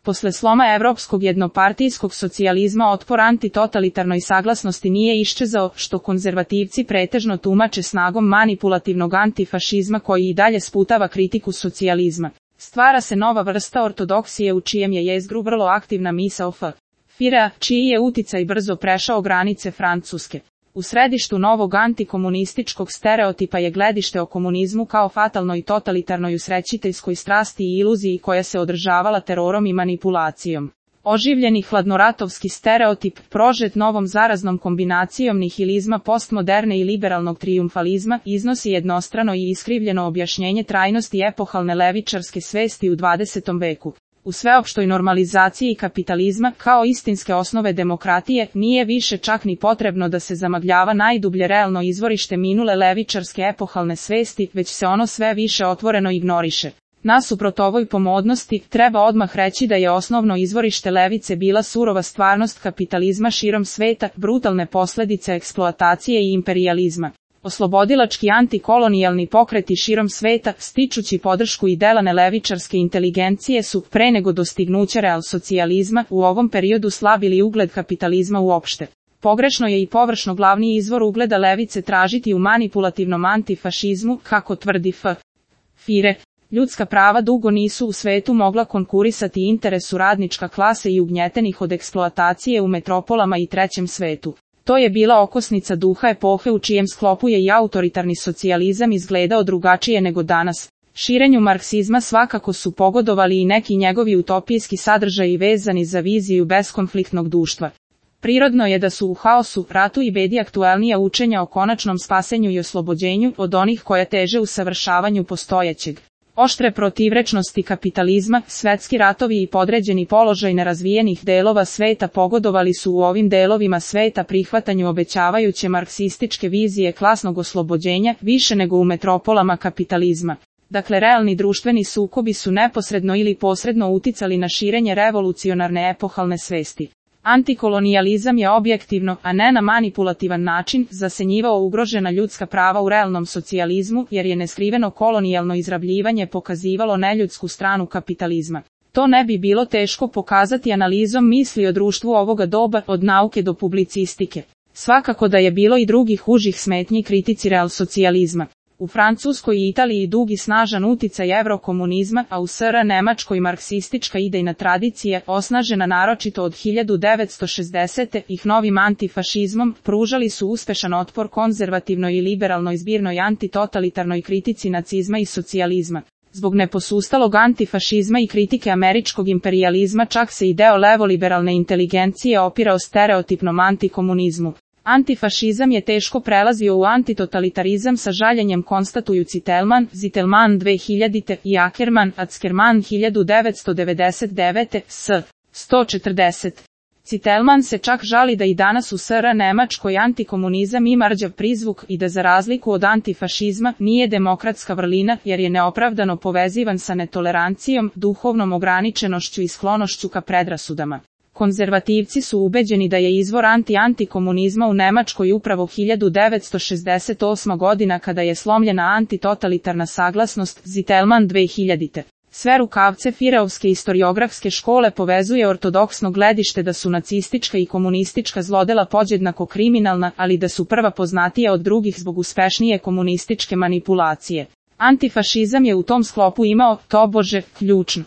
Posle sloma evropskog jednopartijskog socijalizma otpor antitotalitarnoj saglasnosti nije iščezao, što konzervativci pretežno tumače snagom manipulativnog antifašizma koji i dalje sputava kritiku socijalizma. Stvara se nova vrsta ortodoksije u čijem je jezgru vrlo aktivna misao Führera, čiji je uticaj brzo prešao granice Francuske. U središtu novog antikomunističkog stereotipa je gledište o komunizmu kao fatalnoj totalitarnoj usrećiteljskoj strasti i iluziji koja se održavala terorom i manipulacijom. Oživljeni hladnoratovski stereotip, prožet novom zaraznom kombinacijom nihilizma postmoderne i liberalnog trijumfalizma, iznosi jednostrano i iskrivljeno objašnjenje trajnosti epohalne levičarske svesti u 20. veku. U sveopštoj normalizaciji kapitalizma, kao istinske osnove demokratije, nije više čak ni potrebno da se zamagljava najdublje realno izvorište minule levičarske epohalne svesti, već se ono sve više otvoreno ignoriše. Nasuprot ovoj pomodnosti, treba odmah reći da je osnovno izvorište levice bila surova stvarnost kapitalizma širom sveta, brutalne posljedice eksploatacije i imperijalizma. Oslobodilački antikolonijalni pokreti širom sveta, stičući podršku i delane levičarske inteligencije su, pre nego dostignuće realsocijalizma, u ovom periodu slabili ugled kapitalizma uopšte. Pogrešno je i površno glavni izvor ugleda levice tražiti u manipulativnom antifašizmu, kako tvrdi Führer. Ljudska prava dugo nisu u svetu mogla konkurisati interesu radnička klase i ugnjetenih od eksploatacije u metropolama i trećem svetu. To je bila okosnica duha epohe u čijem sklopu je i autoritarni socijalizam izgledao drugačije nego danas. Širenju marksizma svakako su pogodovali i neki njegovi utopijski sadržaji vezani za viziju beskonfliktnog društva. Prirodno je da su u haosu, ratu i bedi aktuelnija učenja o konačnom spasenju i oslobođenju od onih koja teže usavršavanju postojećeg. Oštre protivrečnosti kapitalizma, svetski ratovi i podređeni položaj nerazvijenih delova sveta pogodovali su u ovim delovima sveta prihvatanju obećavajuće marksističke vizije klasnog oslobođenja više nego u metropolama kapitalizma. Dakle, realni društveni sukobi su neposredno ili posredno uticali na širenje revolucionarne epohalne svesti. Antikolonijalizam je objektivno, a ne na manipulativan način, zasenjivao ugrožena ljudska prava u realnom socijalizmu, jer je neskriveno kolonijalno izrabljivanje pokazivalo neljudsku stranu kapitalizma. To ne bi bilo teško pokazati analizom misli o društvu ovoga doba, od nauke do publicistike. Svakako da je bilo i drugih užih smetnji kritici realsocijalizma. U Francuskoj i Italiji dugi snažan uticaj evrokomunizma, a u SR Nemačkoj marksistička idejna tradicija, osnažena naročito od 1960. ih novim antifašizmom, pružali su uspešan otpor konzervativnoj i liberalnoj zbirnoj antitotalitarnoj kritici nacizma i socijalizma. Zbog neposustalog antifašizma i kritike američkog imperijalizma čak se i deo levoliberalne inteligencije opirao stereotipnom antikomunizmu. Antifašizam je teško prelazio u antitotalitarizam sa žaljenjem konstatuju Zitelman 2000. i Ackerman 1999. s. 140. Zitelman se čak žali da i danas u SR Nemačkoj antikomunizam ima rđav prizvuk i da za razliku od antifašizma nije demokratska vrlina jer je neopravdano povezivan sa netolerancijom, duhovnom ograničenošću i sklonošću ka predrasudama. Konzervativci su ubeđeni da je izvor antikomunizma u Nemačkoj upravo 1968. godina kada je slomljena antitotalitarna saglasnost Zitelman 2000. Sve rukavce Führerovske istoriografske škole povezuje ortodoksno gledište da su nacistička i komunistička zlodela podjednako kriminalna, ali da su prva poznatija od drugih zbog uspešnije komunističke manipulacije. Antifašizam je u tom sklopu imao, tobože, ključnu